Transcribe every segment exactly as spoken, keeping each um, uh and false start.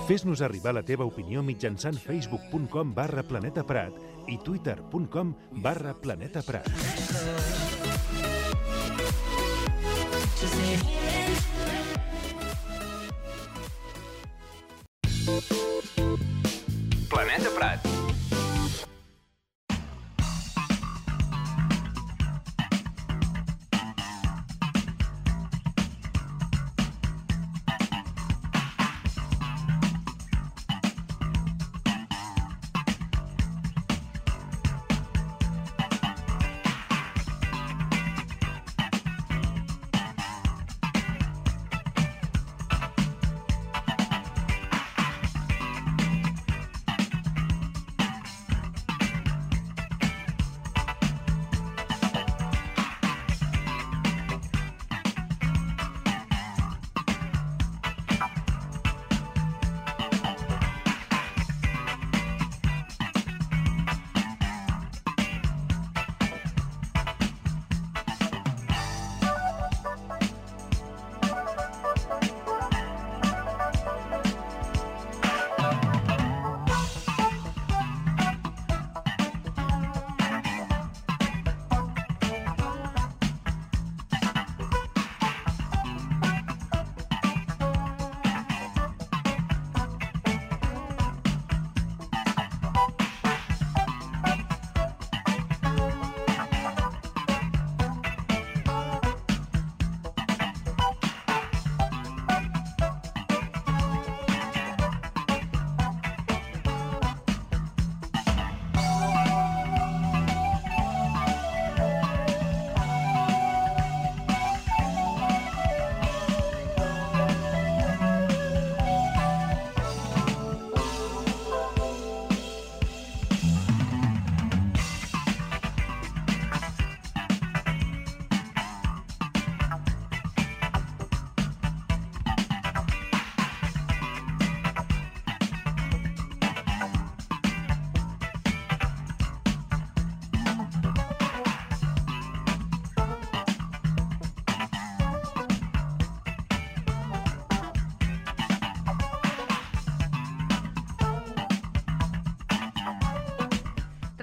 Fes-nos arribar la teva opinió mitjançant facebook punt com barra Planeta Prat i twitter punt com barra Planeta Prat. Planeta Prat.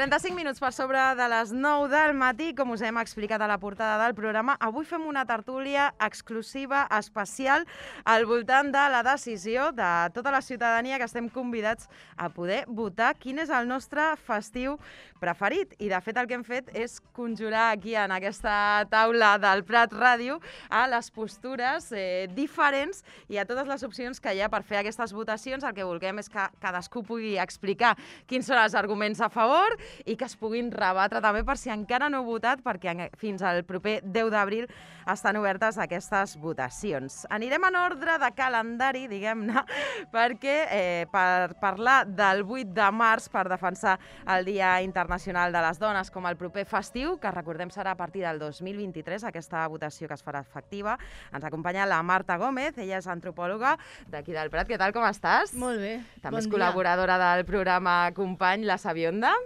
trenta-cinc minuts per sobre de les nou del matí, com us hem explicat a la portada del programa. Avui fem una tertúlia exclusiva, especial, al voltant de la decisió de tota la ciutadania que estem convidats a poder votar quin és el nostre festiu preferit. I, de fet, el que hem fet és conjurar aquí, en aquesta taula del Prat Ràdio, a les postures eh, diferents i a totes les opcions que hi ha per fer aquestes votacions. El que volem és que cadascú pugui explicar quins són els arguments a favor i que es puguin rebatre també per si encara no heu votat, perquè fins al proper deu d'abril estan obertes aquestes votacions. Anirem en ordre de calendari, diguem-ne, perquè eh, per parlar del vuit de març, per defensar el Dia Internacional de les Dones com el proper festiu, que recordem serà a partir del dos mil vint-i-tres, aquesta votació que es farà efectiva, ens acompanya la Marta Gómez, ella és antropòloga d'aquí del Prat. Què tal, com estàs? Molt bé, També bon és col·laboradora dia. del programa Company, la Sabionda.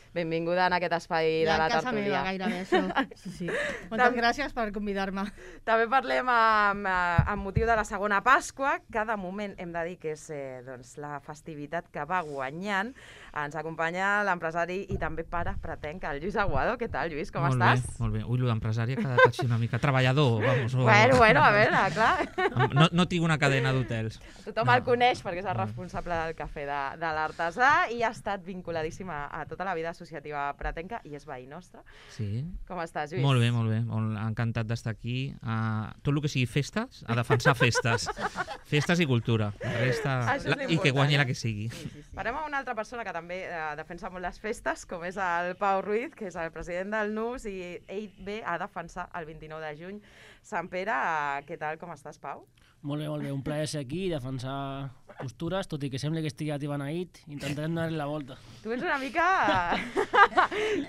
Benvinguda en aquest espai de la tertúlia. Ja a casa meva, gairebé, això. Sí, sí. Moltes gràcies per convidar-me. També parlem amb, amb motiu de la segona Pasqua. Cada moment hem de dir que és eh, doncs, la festivitat que va guanyant. Ens acompanya l'empresari i també pare pratenc, el Lluís Aguado. Què tal, Lluís? Com molt estàs? Bé, molt bé. Ui, l'empresari ha quedat així una mica treballador, vamos. O... Bueno, bueno, a veure, clar. No, no tinc una cadena d'hotels. Tothom no. el coneix perquè és el responsable del cafè de, de l'Artesà i ha estat vinculadíssima a tota la vida associativa pratenca i és veí nostre. Sí. Com estàs, Lluís? Molt bé, molt bé. Molt encantat d'estar aquí. Uh, tot el que sigui festes, a defensar festes. Festes i cultura. La resta... La, I que guanyi la que sigui. Sí, sí, sí. Parlem amb una altra persona que també eh, defensa molt les festes, com és el Pau Ruiz, que és el president del N U S, i ell ve a defensar el vint-i-nou de juny Sant Pere. Uh, què tal, com estàs, Pau? Molt bé, molt bé. Un plaer ser aquí i defensar postures, tot i que sembla que estigui a Tibanaït, intentarem donar-li la volta. Tu ets una mica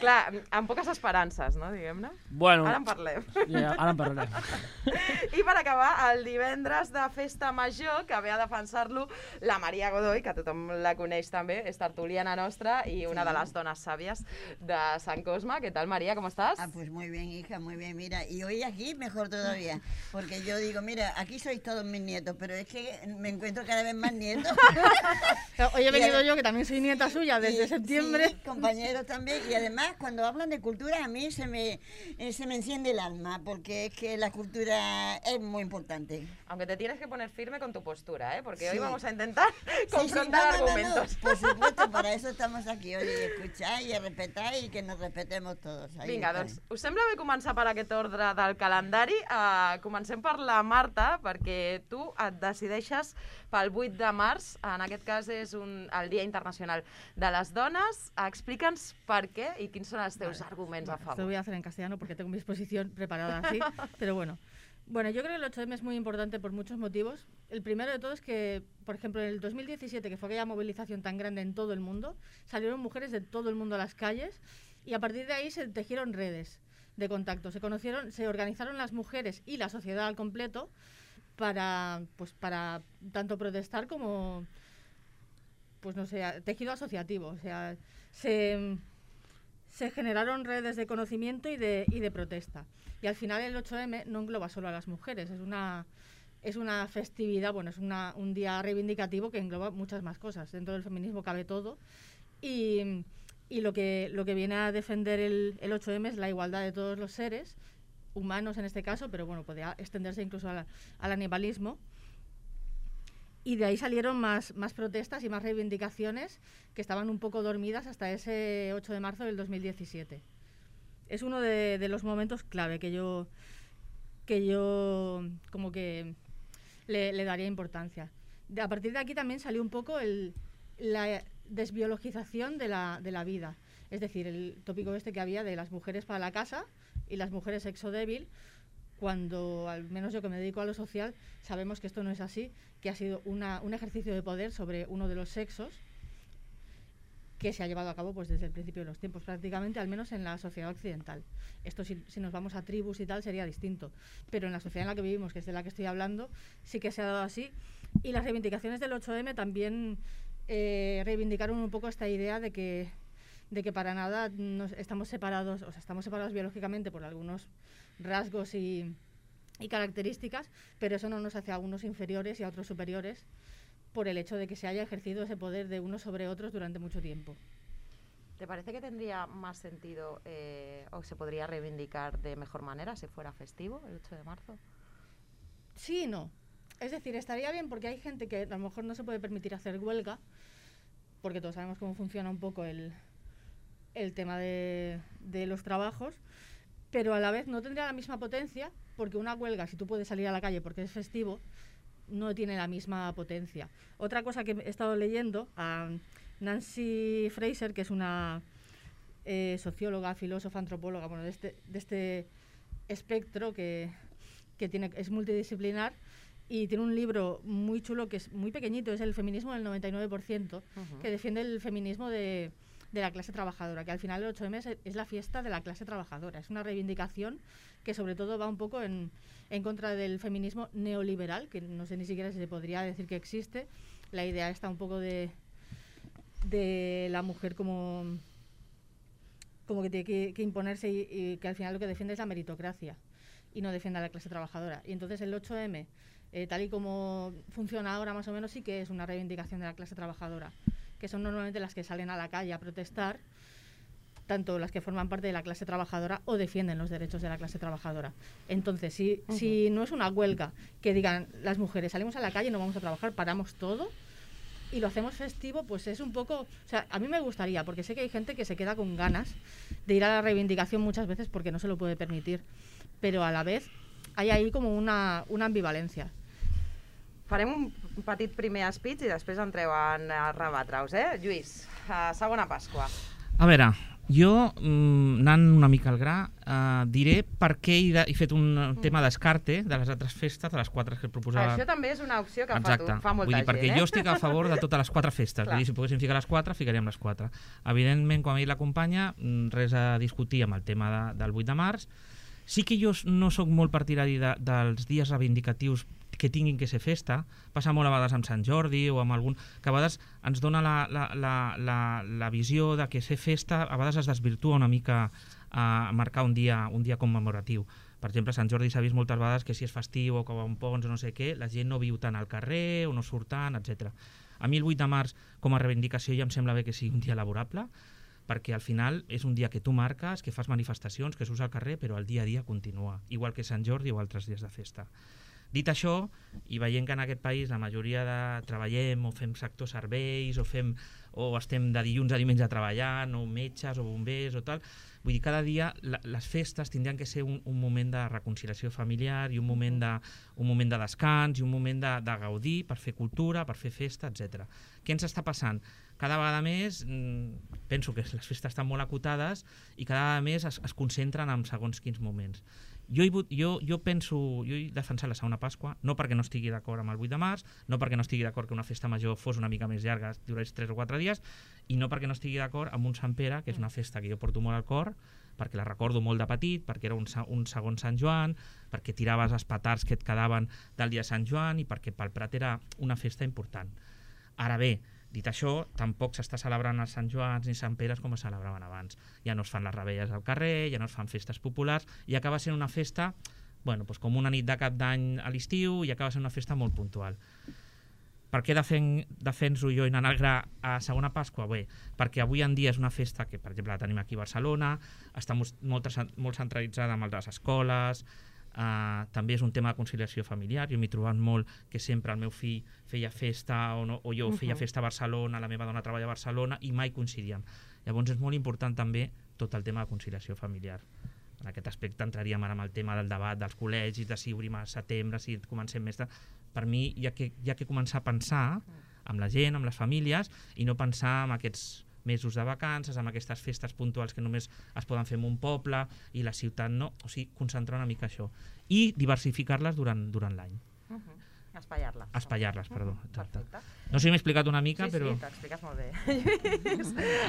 Clar, amb poques esperances, no, diguem-ne? Bueno, Ara en parlem. Ja, ara en parlarem. I per acabar, el divendres de Festa Major, que ve a defensar-lo la Maria Godoy, que tothom la coneix també, és tertuliana nostra y una de las donas sabias de San Cosma. ¿Qué tal, María? ¿Cómo estás? Ah, pues muy bien, hija, muy bien. Mira, y hoy aquí mejor todavía, porque yo digo, mira, aquí sois todos mis nietos, pero es que me encuentro cada vez más nietos. Hoy he venido yo, que también soy nieta suya desde y, septiembre. Sí, compañeros también. Y además, cuando hablan de cultura, a mí se me, eh, se me enciende el alma, porque es que la cultura es muy importante. Aunque te tienes que poner firme con tu postura, ¿eh? Porque Sí. hoy vamos a intentar confrontar sí, sí, no, no, no, argumentos. no. Por supuesto, para eso estamos aquí, oye, y escuchar y a respetar y que nos respetemos todos. Ahí Vinga, está. doncs, us sembla bé començar per aquest ordre del calendari? Uh, comencem per la Marta, perquè tu et decideixes pel vuit de març, en aquest cas és un, el Dia Internacional de les Dones. Explica'ns per què i quins són els teus Vale. arguments Bueno, a favor. Esto lo voy a hacer en castellano porque tengo mi exposición preparada así, pero bueno. Bueno, yo creo que el ocho eme es muy importante por muchos motivos. El primero de todo es que, por ejemplo, en el dos mil diecisiete, que fue aquella movilización tan grande en todo el mundo, salieron mujeres de todo el mundo a las calles y a partir de ahí se tejieron redes de contacto. Se conocieron, se organizaron las mujeres y la sociedad al completo para, pues, para tanto protestar como, pues no sé, tejido asociativo. O sea, se, se generaron redes de conocimiento y de, y de protesta. Y al final el ocho eme no engloba solo a las mujeres, es una, es una festividad, bueno, es una, un día reivindicativo que engloba muchas más cosas. Dentro del feminismo cabe todo. Y, y lo, que, lo que viene a defender el, el ocho eme es la igualdad de todos los seres, humanos en este caso, pero bueno, podría extenderse incluso al, al animalismo. Y de ahí salieron más, más protestas y más reivindicaciones que estaban un poco dormidas hasta ese ocho de marzo del dos mil diecisiete. Es uno de, de los momentos clave que yo, que yo como que le, le daría importancia. De, a partir de aquí también salió un poco el, la desbiologización de la, de la vida. Es decir, el tópico este que había de las mujeres para la casa y las mujeres sexo débil, cuando, al menos yo que me dedico a lo social, sabemos que esto no es así, que ha sido una, un ejercicio de poder sobre uno de los sexos que se ha llevado a cabo pues desde el principio de los tiempos, prácticamente, al menos en la sociedad occidental. Esto si, si nos vamos a tribus y tal sería distinto, pero en la sociedad en la que vivimos, que es de la que estoy hablando, sí que se ha dado así. Y las reivindicaciones del ocho eme también eh, reivindicaron un poco esta idea de que, de que para nada nos estamos separados, o sea, estamos separados biológicamente por algunos rasgos y, y características, pero eso no nos hace a unos inferiores y a otros superiores, por el hecho de que se haya ejercido ese poder de unos sobre otros durante mucho tiempo. ¿Te parece que tendría más sentido eh, o se podría reivindicar de mejor manera si fuera festivo el ocho de marzo? Sí y no. Es decir, estaría bien porque hay gente que a lo mejor no se puede permitir hacer huelga, porque todos sabemos cómo funciona un poco el, el tema de, de los trabajos, pero a la vez no tendría la misma potencia, porque una huelga, si tú puedes salir a la calle porque es festivo, no tiene la misma potencia. Otra cosa que he estado leyendo, a Nancy Fraser, que es una eh, socióloga, filósofa, antropóloga, bueno, de este, de este espectro que, que tiene, es multidisciplinar, y tiene un libro muy chulo que es muy pequeñito, es El feminismo del noventa y nueve por ciento, uh-huh. que defiende el feminismo de, de la clase trabajadora, que al final el ocho eme es, es la fiesta de la clase trabajadora, es una reivindicación que sobre todo va un poco en, en contra del feminismo neoliberal, que no sé ni siquiera si se podría decir que existe. La idea está un poco de, de la mujer como, como que tiene que, que imponerse y, y que al final lo que defiende es la meritocracia y no defiende a la clase trabajadora. Y entonces el ocho eme, eh, tal y como funciona ahora más o menos, sí que es una reivindicación de la clase trabajadora, que son normalmente las que salen a la calle a protestar, tanto las que forman parte de la clase trabajadora o defienden los derechos de la clase trabajadora. Entonces, si, uh-huh. si no es una huelga que digan las mujeres salimos a la calle, no vamos a trabajar, paramos todo y lo hacemos festivo, pues es un poco... O sea, a mí me gustaría, porque sé que hay gente que se queda con ganas de ir a la reivindicación muchas veces porque no se lo puede permitir, pero a la vez hay ahí como una, una ambivalencia. Farem un petit primer speech i després entreu en a rebatre-us, eh? Lluís, uh, segona Pasqua. A veure, Jo, mm, anant una mica al gra, eh, diré per què he, de, he fet un mm. tema d'escarte de les altres festes, de les quatre que proposava. Això també és una opció que Exacte. fa, tu, fa molta Vull dir, gent, perquè eh? jo estic a favor de totes les quatre festes. Vull dir, si poguéssim ficar les quatre, ficaríem les quatre. Evidentment, quan ha dit la companya, res a discutir amb el tema de, del vuit de març. Sí que jo no sóc molt partidari de, dels dies reivindicatius que tinguin que ser festa. Passa molt a vegades amb Sant Jordi o amb algun... que a vegades ens dona la, la, la, la, la visió de que ser festa a vegades es desvirtua una mica a marcar un dia, un dia commemoratiu. Per exemple, a Sant Jordi s'ha vist moltes vegades que si és festiu o que va un pons o no sé què, la gent no viu tant al carrer o no surt tant, etcètera. A mi el vuit de març, com a reivindicació, ja em sembla bé que sigui un dia laborable, perquè al final és un dia que tu marques, que fas manifestacions, que surts al carrer, però el dia a dia continua, igual que Sant Jordi o altres dies de festa. Dit això, i veient que en aquest país la majoria de treballem o fem sector serveis o, fem, o estem de dilluns a diumenge treballant, o metges o bombers o tal, vull dir, cada dia la, les festes tindrien que ser un, un moment de reconciliació familiar i un moment de, un moment de descans i un moment de, de gaudir per fer cultura, per fer festa, etcètera. Què ens està passant? Cada vegada més, penso que les festes estan molt acotades i cada vegada més es, es concentren en segons quins moments. Jo, jo, jo penso, jo he defensat la segona Pasqua, no perquè no estigui d'acord amb el vuit de març, no perquè no estigui d'acord que una festa major fos una mica més llarga, durés tres o quatre dies, i no perquè no estigui d'acord amb un Sant Pere, que és una festa que jo porto molt al cor, perquè la recordo molt de petit, perquè era un, un segon Sant Joan, perquè tiraves els petards que et quedaven del dia de Sant Joan i perquè pel Prat era una festa important. Ara bé, dit això, tampoc s'està celebrant els Sant Joans ni Sant Peres com es celebraven abans. Ja no es fan les rebelles al carrer, ja no es fan festes populars, i acaba sent una festa, bueno, doncs com una nit de cap d'any a l'estiu, i acaba sent una festa molt puntual. Per què defen, defenso jo i anant al gra a segona Pasqua? Bé, perquè avui en dia és una festa que, per exemple, la tenim aquí a Barcelona, està molt, molt, molt centralitzada amb les escoles, Uh, també és un tema de conciliació familiar. Jo m'he trobat molt que sempre el meu fill feia festa o, no, o jo feia festa a Barcelona, la meva dona treballa a Barcelona i mai coincidíem. Llavors és molt important també tot el tema de conciliació familiar. En aquest aspecte entraríem ara amb el tema del debat dels col·legis, de si obrim a setembre, si comencem més... De... Per mi hi ha que, hi ha que començar a pensar amb la gent, amb les famílies, i no pensar en aquests mesos de vacances, amb aquestes festes puntuals que només es poden fer en un poble i la ciutat no, o sigui, concentrar una mica això i diversificar-les durant, durant l'any. Uh -huh. Espaiar-les. Espaiar-les, perdó, exacte. Perfecte. No sé si m'he explicat una mica, sí, però... Sí, t'expliques molt bé.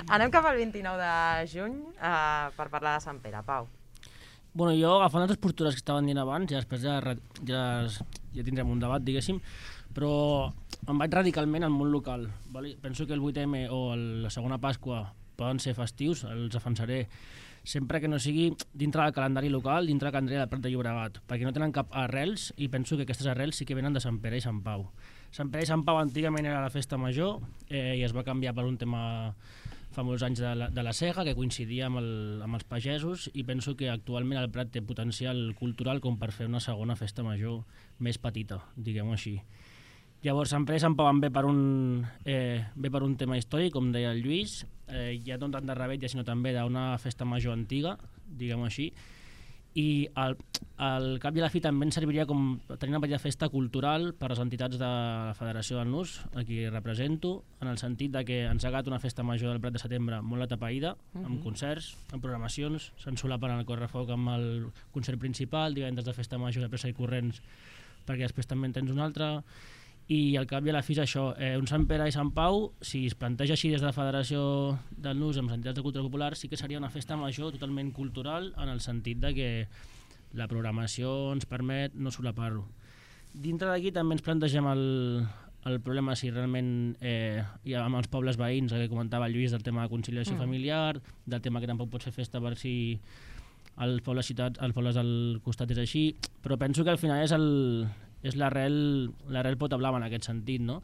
Anem cap al vint-i-nou de juny uh, per parlar de Sant Pere. Pau. Bueno, jo, agafant les postures que estaven dient abans, i després ja, ja, ja tindrem un debat, diguéssim, però em vaig radicalment al món local. Vale? Penso que el vuit eme o el, la segona Pasqua poden ser festius, els defensaré sempre que no sigui dintre del calendari local, dintre del calendari del Prat de Llobregat, perquè no tenen cap arrels i penso que aquestes arrels sí que venen de Sant Pere i Sant Pau. Sant Pere i Sant Pau antigament era la festa major eh, i es va canviar per un tema fa molts anys de la, de la sega, que coincidia amb, el, amb els pagesos, i penso que actualment el Prat té potencial cultural com per fer una segona festa major més petita, diguem-ho així. Llavors, Sant Pere i Sant Pau en ve per un, eh, ve per un tema històric, com deia el Lluís, eh, ja no tant de rebetlla, sinó també d'una festa major antiga, diguem-ho així, i al, al cap i a la fi també ens serviria com tenir una petita festa cultural per a les entitats de la Federació del Nus, a qui represento, en el sentit de que ens ha agat una festa major del Prat de Setembre molt atapeïda, uh-huh. amb concerts, amb programacions, se'n solapen el correfoc amb el concert principal, divendres de festa major de pressa i corrents, perquè després també en tens un altre, i al cap i a la fi és això, eh, un Sant Pere i Sant Pau, si es planteja així des de la Federació del Nus amb les entitats de cultura popular, sí que seria una festa major totalment cultural, en el sentit de que la programació ens permet no solapar-ho. Dintre d'aquí també ens plantegem el, el problema si realment eh, hi ha amb els pobles veïns, el que comentava el Lluís, del tema de conciliació mm. familiar, del tema que tampoc pots fer festa per si els pobles ciutats, els pobles del costat és així, però penso que al final és el és l'arrel l'arrel pota blava en aquest sentit, no?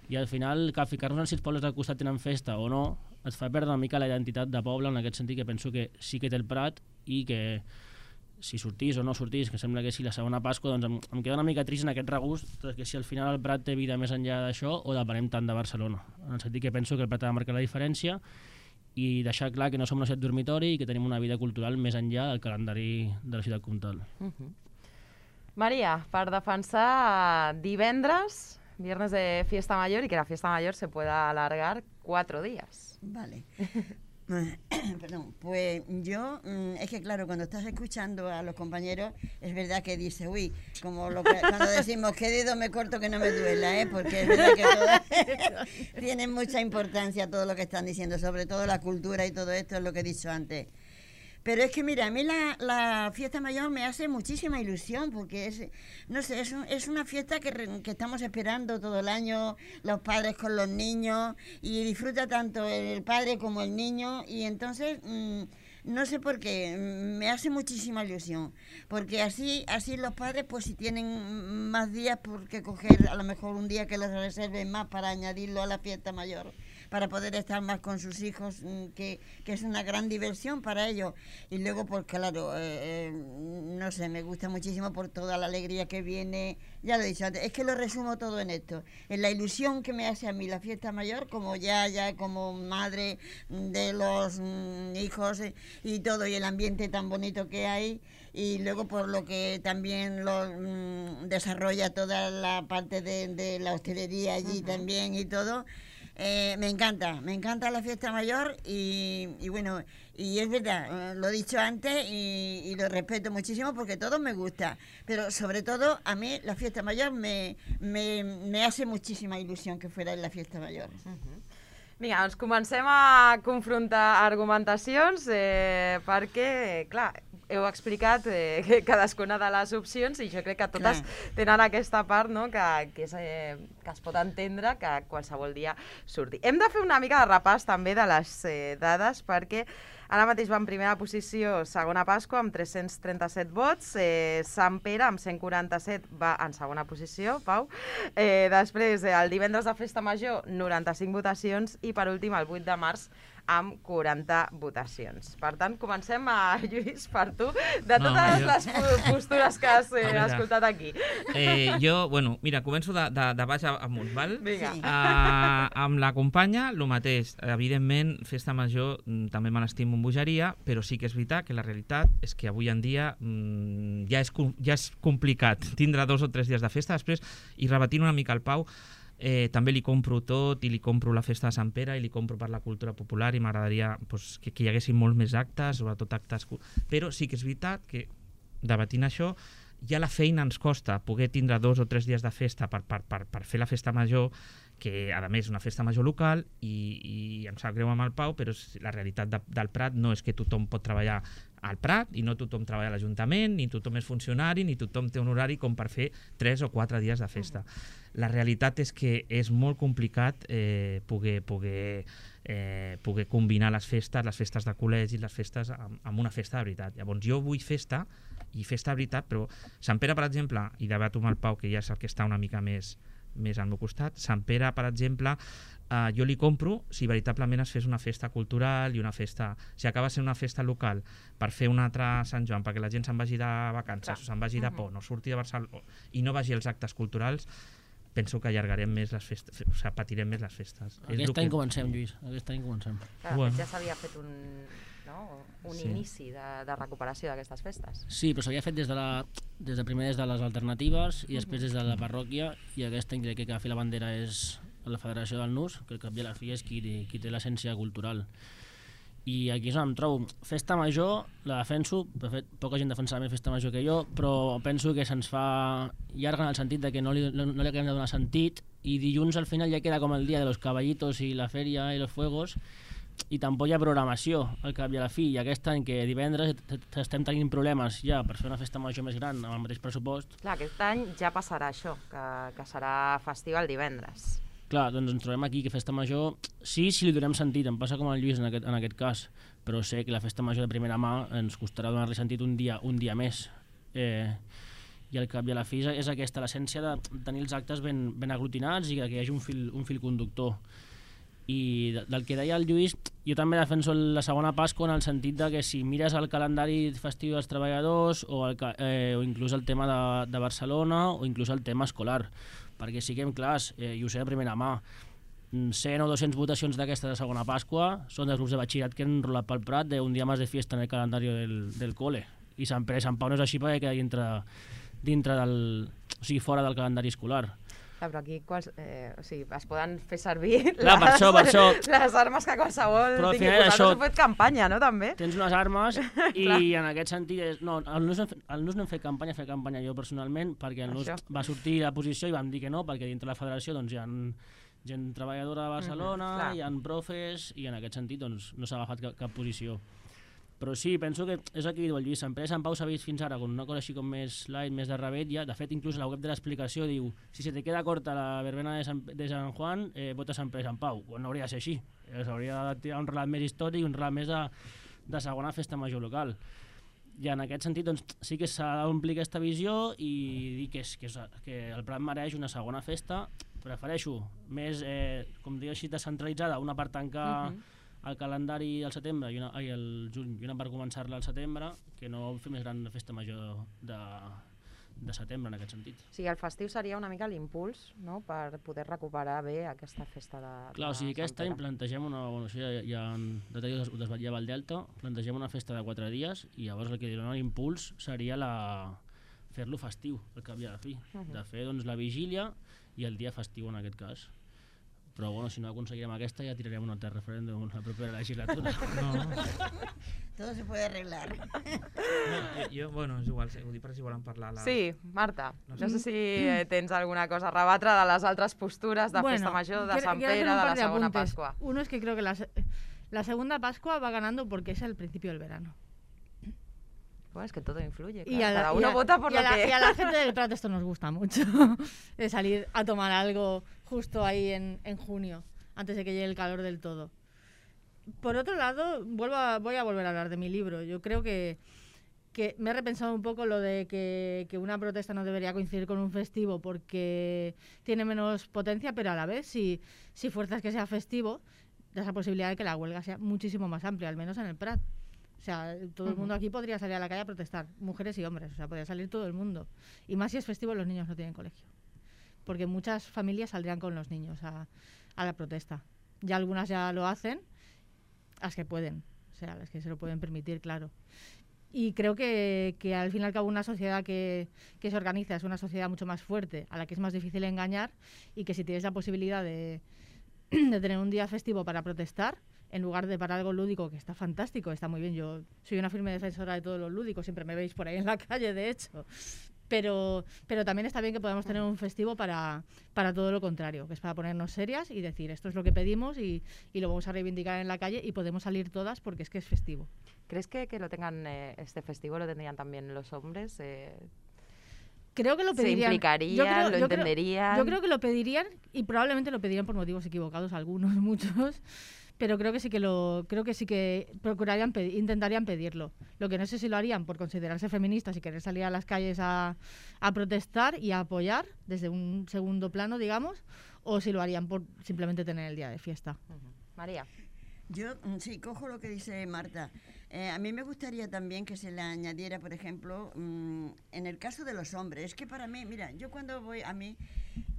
I al final que ficar-nos en si els pobles del costat tenen festa o no et fa perdre una mica la identitat de poble, en aquest sentit que penso que sí que té el Prat i que si sortís o no sortís, que sembla que sí la segona Pasqua, doncs em, em queda una mica trist en aquest regust, que si al final el Prat té vida més enllà d'això o depenem tant de Barcelona, en el sentit que penso que el Prat ha de marcar la diferència i deixar clar que no som una ciutat dormitori i que tenim una vida cultural més enllà del calendari de la ciutat comtal. Uh-huh. María, per defensar divendres, viernes de fiesta mayor y que la fiesta mayor se pueda alargar cuatro días. Vale. Perdón, pues yo, es que claro, cuando estás escuchando a los compañeros, es verdad que dices, uy, como lo que, cuando decimos, ¿qué dedo me corto que no me duela? ¿eh? Porque es verdad que todo, tiene mucha importancia todo lo que están diciendo, sobre todo la cultura y todo esto, es lo que he dicho antes. Pero es que mira, a mí la, la fiesta mayor me hace muchísima ilusión porque es, no sé, es, un, es una fiesta que, re, que estamos esperando todo el año, los padres con los niños, y disfruta tanto el padre como el niño, y entonces mmm, no sé por qué, me hace muchísima ilusión, porque así así los padres pues si tienen más días por qué coger, a lo mejor un día que les reserven más para añadirlo a la fiesta mayor, para poder estar más con sus hijos, que, que es una gran diversión para ellos. Y luego, pues claro, eh, eh, no sé, me gusta muchísimo por toda la alegría que viene, ya lo he dicho antes, es que lo resumo todo en esto, en la ilusión que me hace a mí la fiesta mayor, como ya, ya como madre de los mm, hijos y todo, y el ambiente tan bonito que hay, y luego por lo que también lo mm, desarrolla toda la parte de, de la hostelería allí uh-huh. también y todo. Eh, me encanta, me encanta la fiesta mayor y, y bueno, y es verdad, eh, lo he dicho antes y, y lo respeto muchísimo porque todo me gusta, pero sobre todo a mí la fiesta mayor me, me, me hace muchísima ilusión que fuera en la fiesta mayor. Uh-huh. Vinga, doncs comencem a confrontar argumentacions eh, perquè, clar, heu explicat eh, cadascuna de les opcions i jo crec que totes Clar. tenen aquesta part, no?, que, que, és, eh, que es pot entendre que qualsevol dia surti. Hem de fer una mica de repàs també de les eh, dades perquè ara mateix va en primera posició Segona Pasqua amb tres-cents trenta-set vots, eh, Sant Pere amb cent quaranta-set va en segona posició, Pau. Eh, després, eh, el divendres de Festa Major, noranta-cinc votacions i per últim el vuit de març amb quaranta votacions. Per tant, comencem a, Lluís, per tu, de no, totes jo... les postures que has eh, escoltat aquí. Eh, jo, bueno, mira, començo de, de, de baix amunt, val? Vinga. Sí. Uh, amb la companya, el mateix. Evidentment, Festa Major també me l'estimo amb bogeria, però sí que és veritat que la realitat és que avui en dia mm, ja, és, ja és complicat tindre dos o tres dies de festa. Després, i repetint una mica el Pau, Eh, també li compro tot i li compro la festa de Sant Pere i li compro per la cultura popular i m'agradaria pues, que, que hi haguessin molts més actes, sobretot actes... Però sí que és veritat que, debatint això, ja la feina ens costa poder tindre dos o tres dies de festa per, per, per, per fer la festa major, que a més és una festa major local i, i em sap greu amb el Pau, però la realitat de, del Prat no és que tothom pot treballar al Prat i no tothom treballa a l'Ajuntament, ni tothom és funcionari, ni tothom té un horari com per fer tres o quatre dies de festa. La realitat és que és molt complicat eh, poder, poder, eh, poder combinar les festes, les festes de col·legi, les festes amb, amb una festa de veritat. Llavors jo vull festa i festa de veritat, però Sant Pere, per exemple, i debato amb el Pau, que ja és el que està una mica més, més al meu costat, Sant Pere, per exemple, Uh, jo li compro si veritablement es fes una festa cultural i una festa... Si acaba sent una festa local per fer un altre Sant Joan, perquè la gent se'n vagi de vacances Clar. o se'n vagi de por, no surti de Barcelona i no vagi als actes culturals, penso que allargarem més les festes, o sigui, patirem més les festes. Aquest any que... comencem, Lluís, aquest any comencem. Clar, bueno. Ja s'havia fet un, no? un sí. inici de, de recuperació d'aquestes festes. Sí, però s'havia fet des de, la, des de primer des de les alternatives i després des de la parròquia, i aquest any crec que a fi la bandera és la Federació del Nus, que al cap i a la fi és qui, qui té l'essència cultural. I aquí és on em trobo. Festa Major la defenso, de fet poca gent defensa més Festa Major que jo, però penso que se'ns fa llarga en el sentit de que no li, no, no li acabem de donar sentit, i dilluns al final ja queda com el dia de los caballitos i la feria i los fuegos, i tampoc hi ha programació al cap i a la fi, i aquest any que divendres estem tenint problemes ja per fer una festa major més gran amb el mateix pressupost. Clar, aquest any ja passarà això, que, que serà festiu el divendres. Clar, doncs ens trobem aquí que festa major, sí, si li donem sentit, em passa com al Lluís en aquest, en aquest cas, però sé que la festa major de primera mà ens costarà donar-li sentit un dia, un dia més. Eh, I al cap i a la fi és aquesta l'essència de tenir els actes ben, ben aglutinats i que hi hagi un fil, un fil conductor. I del que deia el Lluís, jo també defenso la segona Pasqua en el sentit de que si mires el calendari festiu dels treballadors o, el, eh, o inclús el tema de, de Barcelona o inclús el tema escolar, perquè siguem clars, eh, i ho sé de primera mà, cent o dues-centes votacions d'aquesta de segona Pasqua són dels grups de batxillerat que han enrolat pel Prat d'un dia més de fiesta en el calendari del, del cole, i Sant Pere i Sant Pau no és així perquè queda dintre, dintre del, o sigui, fora del calendari escolar. Clar, però aquí quals, eh, o sigui, es poden fer servir Clar, per les, això, per això. les armes que qualsevol Però al tingui. final Vosaltres això- heu fet campanya, no, també? Tens unes armes i en aquest sentit... És, no, el Nus, no hem fet- el Nus no hem fet campanya, he fet campanya jo personalment, perquè el Nus Això. va sortir a posició i vam dir que no, perquè dintre la federació doncs, hi ha gent treballadora de Barcelona, clar. hi ha profes, i en aquest sentit doncs, no s'ha agafat cap, cap posició. Però sí, penso que és el que diu el Lluís, sempre Sant Pau s'ha vist fins ara com una cosa així com més light, més de rebetlla. De fet, inclús a la web de l'explicació diu si se te queda corta la verbena de Sant, de Sant Juan, eh, vota Sant Pere Sant Pau. Pues no hauria de ser així. Eh, S'hauria de tirar un relat més històric, un relat més de, de segona festa major local. I en aquest sentit doncs, sí que s'ha d'omplir aquesta visió i dir que, és, que, és, que el Prat mereix una segona festa. Prefereixo més, eh, com diu així, descentralitzada, una per tancar uh -huh. el calendari al setembre i una, ai, el juny i una per començar-la al setembre, que no fer més gran la festa major de, de setembre en aquest sentit. O sigui, el festiu seria una mica l'impuls, no?, per poder recuperar bé aquesta festa de, Clar, o sigui, de aquest Sant any Pere. plantegem una... Bueno, això ja, ja en detall ho desvetllava el Delta, plantegem una festa de quatre dies i llavors el que dona l'impuls seria la fer-lo festiu, el cap i a la fi. Uh -huh. De fer doncs, la vigília i el dia festiu en aquest cas. Però bueno, si no aconseguirem aquesta ja tirarem un altre referèndum la propera legislatura. No, Todo se puede arreglar. no, jo, bueno, és igual, ho dic per si volen parlar. La... Sí, Marta, No no sé. sé si eh, tens alguna cosa a rebatre de les altres postures de Festa Major, de quiero- Sant quiero hacer Pere, un de par la de segona apuntes. Pasqua. Uno es que creo que la, se- la segunda Pascua va ganando porque es el principio del verano. Bueno, es que todo influye, Y claro, a la- cada y uno a- vota por y a lo la, que... y a la gente del Prat esto nos gusta mucho, de salir a tomar algo justo ahí en, en junio, antes de que llegue el calor del todo. Por otro lado, vuelvo a- voy a volver a hablar de mi libro. Yo creo que, que me he repensado un poco lo de que, que una protesta no debería coincidir con un festivo porque tiene menos potencia, pero a la vez, si, si fuerzas que sea festivo, da esa posibilidad de que la huelga sea muchísimo más amplia, al menos en el Prat. O sea, todo el mundo aquí podría salir a la calle a protestar, mujeres y hombres, o sea, podría salir todo el mundo. Y más si es festivo, los niños no tienen colegio. Porque muchas familias saldrían con los niños a, a la protesta. Ya algunas ya lo hacen, las que pueden, o sea, las que se lo pueden permitir, claro. Y creo que, que al fin y al cabo una sociedad que, que se organiza es una sociedad mucho más fuerte, a la que es más difícil engañar, y que si tienes la posibilidad de, de tener un día festivo para protestar, en lugar de para algo lúdico, que está fantástico, está muy bien. Yo soy una firme defensora de todo lo lúdico, siempre me veis por ahí en la calle, de hecho. Pero, pero también está bien que podamos tener un festivo para, para todo lo contrario, que es para ponernos serias y decir esto es lo que pedimos y, y lo vamos a reivindicar en la calle y podemos salir todas porque es que es festivo. ¿Crees que, que lo tengan eh, este festivo, lo tendrían también los hombres? Eh, Creo que lo ¿Se pedirían. implicarían, Yo creo- lo yo creo- entenderían? Yo creo que lo pedirían y probablemente lo pedirían por motivos equivocados algunos, muchos. Pero creo que sí que lo, creo que sí que procurarían, pedi- intentarían pedirlo. Lo que no sé si lo harían por considerarse feministas y querer salir a las calles a, a protestar y a apoyar desde un segundo plano, digamos, o si lo harían por simplemente tener el día de fiesta. Ujú. María. Yo mm, sí, cojo lo que dice Marta. Eh, a mí me gustaría también que se le añadiera, por ejemplo, mm, en el caso de los hombres. Es que para mí, mira, yo cuando voy a mí,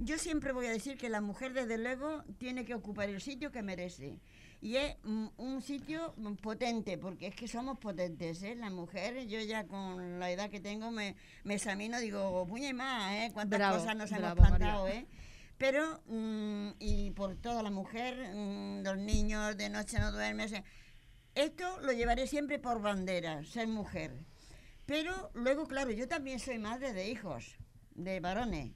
yo siempre voy a decir que la mujer, desde luego, tiene que ocupar el sitio que merece. Y es mm, un sitio mm, potente, porque es que somos potentes, ¿eh? La mujer, yo ya con la edad que tengo me, me examino, digo, puña y más, ¿eh? Cuántas Bravo, cosas nos hemos bravo, plantado, María. ¿eh? Pero, mm, y por toda la mujer, mm, los niños de noche no duermen. o sea, esto lo llevaré siempre por bandera, ser mujer. Pero luego, claro, yo también soy madre de hijos, de varones.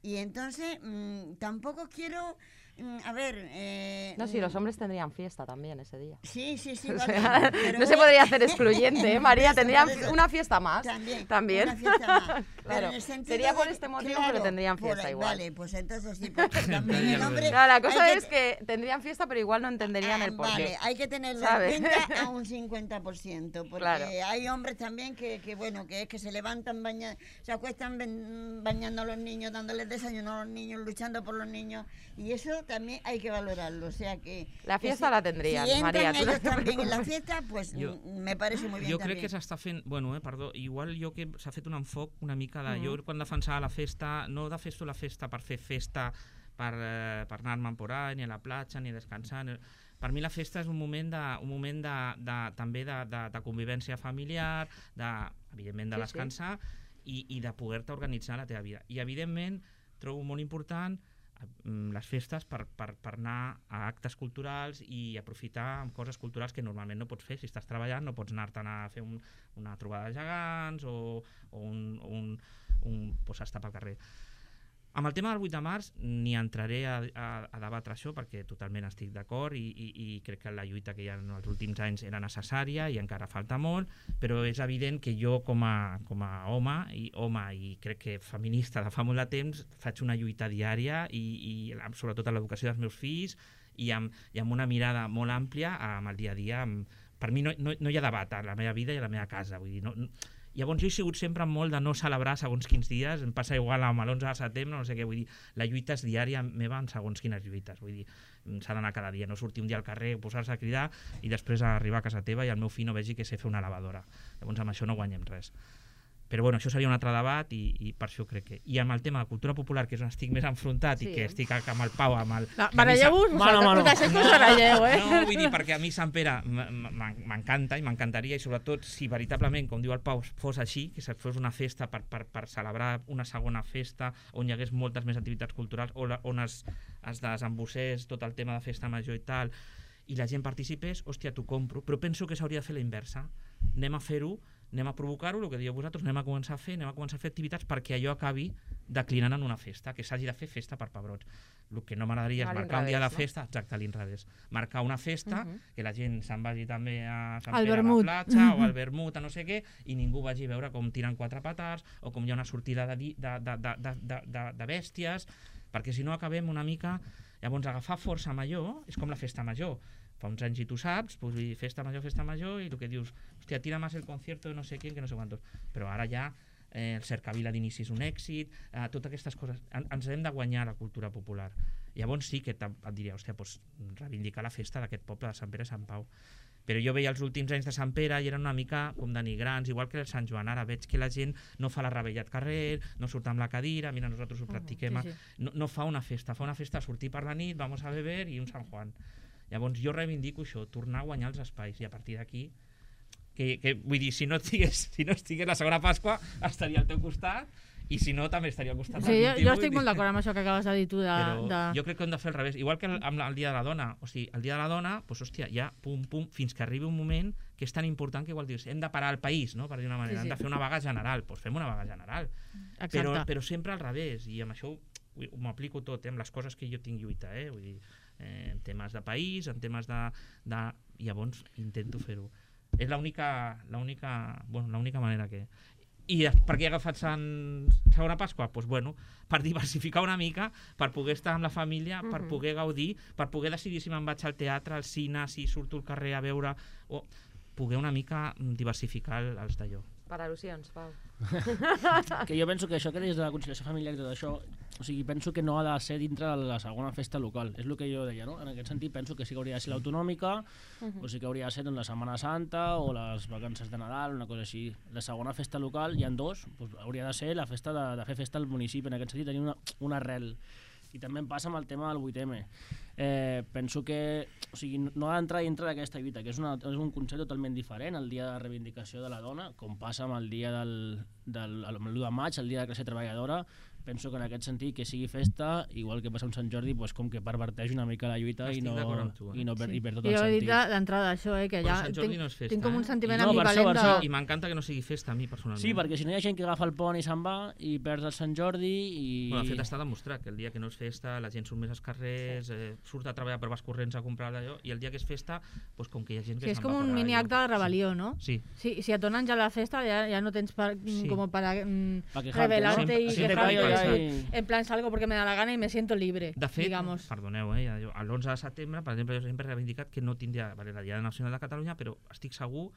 Y entonces, mm, tampoco quiero, mm, a ver... eh, No, sí, los hombres tendrían fiesta también ese día. Sí, sí, sí. O vale, sea, pero no se es- podría hacer excluyente, ¿eh, María? Por eso, Tendrían por eso. una fiesta más. También, También. una fiesta más. Pero Claro, en el sentido sería por de- este motivo claro, que lo tendrían por fiesta ahí, igual. Vale, pues entonces sí, porque también el hombre... No, la cosa hay es que tendrían fiesta, pero igual no entenderían Ah, el porqué. Vale, hay que tenerlo ¿sabes? en cuenta a un cincuenta por ciento, porque Claro. hay hombres también que, que, bueno, que es que se levantan, baña, se acuestan ben- bañando a los niños, dándoles desayuno a los niños, luchando por los niños, y eso también hay que valorarlo, o sea que... La que fiesta si- la tendrían, si entran María, tú no ellos te también en la preocupes. fiesta, pues Jo- mm, me parece muy bien Jo también. crec que s'està fent... Bueno, eh, perdó, igual jo que s'ha fet un enfoc una mica de... Mhm. Jo quan defensava la festa, no defenso la festa per fer festa per, eh, per anar-me'n por ahí, ni a la platja, ni descansar... Ni... Per mi la festa és un moment, de, un moment de, de, també de, de, de convivència familiar, de, evidentment de Sí, sí. descansar i, i de poder-te organitzar la teva vida. I evidentment trobo molt important les festes per, per, per anar a actes culturals i aprofitar amb coses culturals que normalment no pots fer. Si estàs treballant no pots anar-te'n a fer un, una trobada de gegants o, o un, un, un posar-te pel carrer. Amb el tema del vuit de març ni entraré a, a, a debatre això perquè totalment estic d'acord i, i, i crec que la lluita que hi ha en els últims anys era necessària i encara falta molt, però és evident que jo com a, com a home, i, home i crec que feminista de fa molt de temps faig una lluita diària i, i sobretot a l'educació dels meus fills i amb, i amb una mirada molt àmplia amb el dia a dia. Amb, per mi no, no, no hi ha debat a la meva vida i a la meva casa, vull dir, no, no, llavors jo he sigut sempre molt de no celebrar segons quins dies, em passa igual amb l'onze de setembre, no sé què, vull dir, la lluita és diària meva en segons quines lluites, vull dir, s'ha d'anar cada dia, no sortir un dia al carrer, posar-se a cridar i després arribar a casa teva i el meu fill no vegi que sé fer una lavadora, llavors amb això no guanyem res. Però bueno, això seria un altre debat i, i per això crec que... I amb el tema de cultura popular, que és on estic més enfrontat sí. i que estic amb el Pau, amb el... Baralleu-vos, us deixeu que us baralleu, eh? No, vull dir, perquè a mi Sant Pere m'encanta i m'encantaria i sobretot si veritablement, com diu el Pau, fos així, que fos una festa per, per, per celebrar una segona festa on hi hagués moltes més activitats culturals, on es, es desembossés tot el tema de festa major i tal, i la gent participés, hòstia, t'ho compro, però penso que s'hauria de fer la inversa. Anem a fer-ho, anem a provocar-ho, el que dieu vosaltres, anem a començar a fer, anem a començar a fer activitats perquè allò acabi declinant en una festa, que s'hagi de fer festa per pebrots. El que no m'agradaria és marcar un dia de festa, exacte, a l'inrevés. Marcar una festa, uh -huh. que la gent se'n vagi també a Sant Pere a la platja uh -huh. o al vermut, a no sé què, i ningú vagi a veure com tiren quatre petards o com hi ha una sortida de, de, de, de, de, de, de bèsties, perquè si no acabem una mica... Llavors agafar força major és com la festa major. Fa uns anys i tu saps, pues, festa major, festa major, i el que dius, hòstia, tira més el concierto de no sé qui, que no sé quantos. Però ara ja eh, el Cercavila d'inici és un èxit, eh, totes aquestes coses. En, ens hem de guanyar la cultura popular. Llavors sí que et diria, hòstia, pues, reivindicar la festa d'aquest poble de Sant Pere i Sant Pau. Però jo veia els últims anys de Sant Pere i eren una mica com denigrants, igual que el Sant Joan. Ara veig que la gent no fa la rebella al carrer, no surt amb la cadira, mira, nosaltres ho practiquem, uh -huh, sí, sí. No, no fa una festa, fa una festa a sortir per la nit, vamos a beber i un Sant Juan. Llavors jo reivindico això, tornar a guanyar els espais i a partir d'aquí, que, que vull dir, si no estigués, si no estigués la segona Pasqua estaria al teu costat i si no també estaria al costat sí, del vint-i-vuit. Jo estic molt d'acord amb això que acabes de dir tu. De, Però de... jo crec que hem de fer al revés, igual que el, amb el Dia de la Dona, o sigui, el Dia de la Dona, doncs hòstia, ja pum pum, fins que arribi un moment que és tan important que igual dius, hem de parar el país, no? Per dir una manera, sí, sí. hem de fer una vaga general, doncs fem una vaga general. Però, però sempre al revés, i amb això m'ho aplico tot, eh, amb les coses que jo tinc lluita, eh? Vull dir, eh, en temes de país, en temes de... de... Llavors intento fer-ho. És l'única l'única bueno, l'única manera que... I per què he agafat Sant... segona Pasqua? Doncs pues bueno, per diversificar una mica, per poder estar amb la família, per poder gaudir, per poder decidir si me'n vaig al teatre, al cine, si surto al carrer a veure... o poder una mica diversificar els d'allò. Per al·lusions, Pau. Que jo penso que això que deies de la conciliació familiar i tot això, o sigui, penso que no ha de ser dintre de la segona festa local, és el que jo deia, no? En aquest sentit penso que sí que hauria de ser l'autonòmica, uh-huh. o sí que hauria de ser doncs, la Setmana Santa o les vacances de Nadal, una cosa així. La segona festa local, hi ha dos, doncs, hauria de ser la festa de, de fer festa al municipi, en aquest sentit tenir una, una arrel. I també em passa amb el tema del vuit eme. Eh, penso que o sigui, no ha d'entrar dintre d'aquesta lluita, que és, una, és un concepte totalment diferent, el dia de reivindicació de la dona, com passa amb el dia del, del l'u de maig, el dia de classe treballadora. Penso que en aquest sentit que sigui festa, igual que passa amb Sant Jordi, pues, com que perverteix una mica la lluita i no, tu, eh? i no per, sí. i per tot I el jo sentit. Jo he dit d'entrada això, eh, que ja tinc, no festa, tinc com un sentiment eh? no, ambivalent per això, per de... I m'encanta que no sigui festa a mi, personalment. Sí, perquè si no hi ha gent que agafa el pont i se'n va i perds el Sant Jordi i... Bueno, de fet està demostrat que el dia que no és festa la gent surt més als carrers, eh, surt a treballar per vas corrents a comprar d'allò, i el dia que és festa, pues, com que hi ha gent que sí, se'n va és com un mini acte de rebel·lió, sí. no? Sí. Sí, si et donen ja la festa ja, ja no tens per, sí. como para mm, pa rebelarte ¿no? y quejarte. Y... En plan, salgo porque me da la gana y me siento libre, de fet, digamos. Perdoneu, eh, jo, l'onze de setembre, per exemple, jo sempre he reivindicat que no tindria vale, la Diada Nacional de Catalunya, però estic segur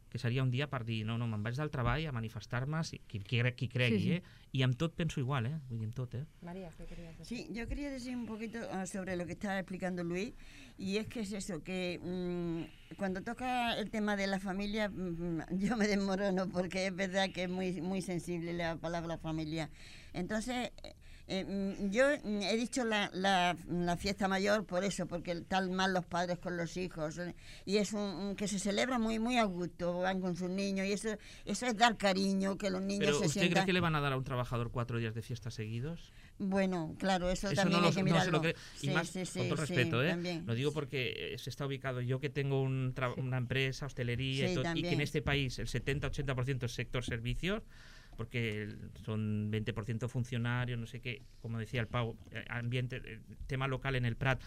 que seria un dia per dir, no, no, me'n vaig del treball a manifestar-me, qui, qui, qui cregui, sí, sí. eh? Y amb tot penso igual, eh? Vull dir, amb tot, eh? María, ¿qué querías decir? Sí, yo quería decir un poquito sobre lo que estaba explicando Luis, y es que es eso, que mmm, cuando toca el tema de la familia, mmm, yo me desmorono, porque es verdad que es muy, muy sensible la palabra familia. Entonces... Eh, yo he dicho la, la, la fiesta mayor por eso, porque están mal los padres con los hijos, y es un, un que se celebra muy muy a gusto, van con sus niños, y eso eso es dar cariño, que los niños Pero se ¿usted sientan... cree que le van a dar a un trabajador cuatro días de fiesta seguidos? Bueno, claro, eso, Eso también no hay lo- que no se mirarlo. lo cree. Y Sí, más, sí, sí, con todo sí, respeto, ¿eh? también. Lo digo porque se está ubicado yo que tengo un tra- una empresa, hostelería Sí, y, todo, y que en también. este país el setenta ochenta por ciento es sector servicios, porque son veinte por ciento funcionarios, no sé qué, como decía el Pau, eh, ambiente, eh, tema local en el Prat,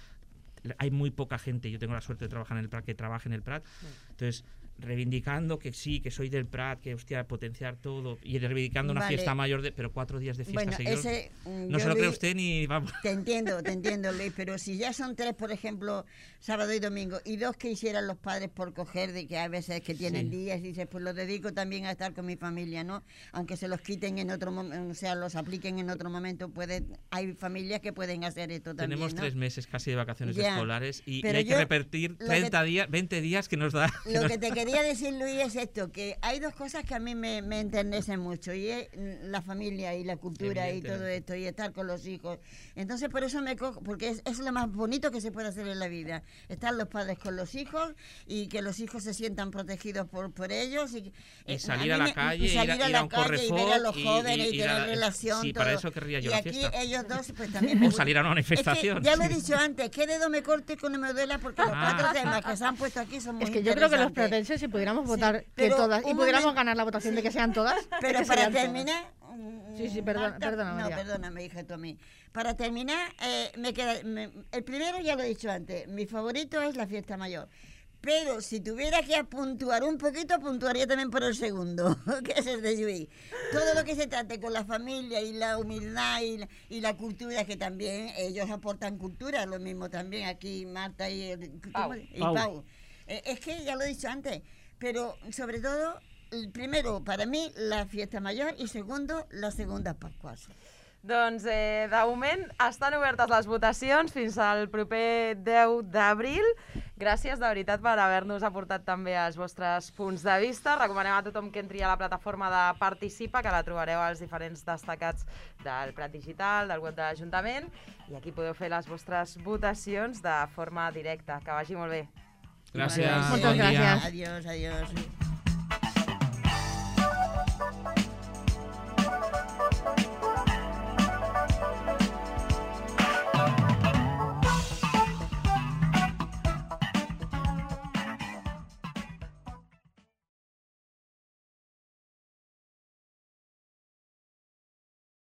hay muy poca gente, yo tengo la suerte de trabajar en el Prat, que trabaje en el Prat, entonces reivindicando que sí, que soy del Prat, que hostia, potenciar todo, y reivindicando una Vale. fiesta mayor, de, pero cuatro días de fiesta Bueno, seguidos, ese, mm, no yo, se lo cree Luis, usted ni vamos. Te entiendo, te entiendo, Luis, pero si ya son tres, por ejemplo, sábado y domingo, y dos que hicieran los padres por coger, de que hay veces que tienen Sí. días, y dices, pues los dedico también a estar con mi familia, ¿no? Aunque se los quiten en otro momento, o sea, los apliquen en otro momento, puede, hay familias que pueden hacer esto también, Tenemos ¿no? tres meses casi de vacaciones Ya, escolares y, y pero hay que yo repetir lo que- treinta días, veinte días que nos da. Lo que te quería decir, Luis, es esto, que hay dos cosas que a mí me, me enternecen mucho, y es la familia y la cultura y todo Evidentemente. esto, y estar con los hijos. Entonces, por eso me cojo, porque es, es lo más bonito que se puede hacer en la vida, estar los padres con los hijos y que los hijos se sientan protegidos por, por ellos. Y, Y eh, salir a, a mí la me- calle, y ir a- salir ir a la un calle y ver a Correfoc los y- jóvenes y, y ir tener a- relación. sí, para todo. eso querría yo y la aquí fiesta. ellos dos, pues también me O gusta. salir a una manifestación. Es que ya lo he dicho antes, ¿qué dedo me corte que no me duela? Porque los Ah. cuatro temas que se han puesto aquí son muy Es que yo creo que los interesantes. pratenses, si pudiéramos Sí, votar que pero todas y un pudiéramos momento- ganar la votación de que sean todas, Pero que para serían todas. terminar... mm, Sí, sí, perdona- Marta, perdona, No, María. perdóname, hija, tú a mí. Para terminar, eh, me queda... me- el primero ya lo he dicho antes, mi favorito es la fiesta mayor. Pero si tuviera que puntuar un poquito, puntuaría también por el segundo, que es el de Lluís. Todo lo que se trate con la familia y la humildad y la, y la cultura, que también ellos aportan cultura, lo mismo también aquí Marta y, el- Pau. ¿cómo? y Pau. Pau. Eh, es que ya lo he dicho antes, pero sobre todo, el primero para mí la fiesta mayor y segundo las segundas Pascuas. Doncs, eh, de moment, estan obertes les votacions fins al proper deu d'abril. Gràcies, de veritat, per haver-nos aportat també els vostres punts de vista. Recomanem a tothom que entri a la plataforma de Participa, que la trobareu als diferents destacats del Prat Digital, del web de l'Ajuntament, i aquí podeu fer les vostres votacions de forma directa. Que vagi molt bé. Gràcies. Moltes bon dia. gràcies. Adiós, adiós.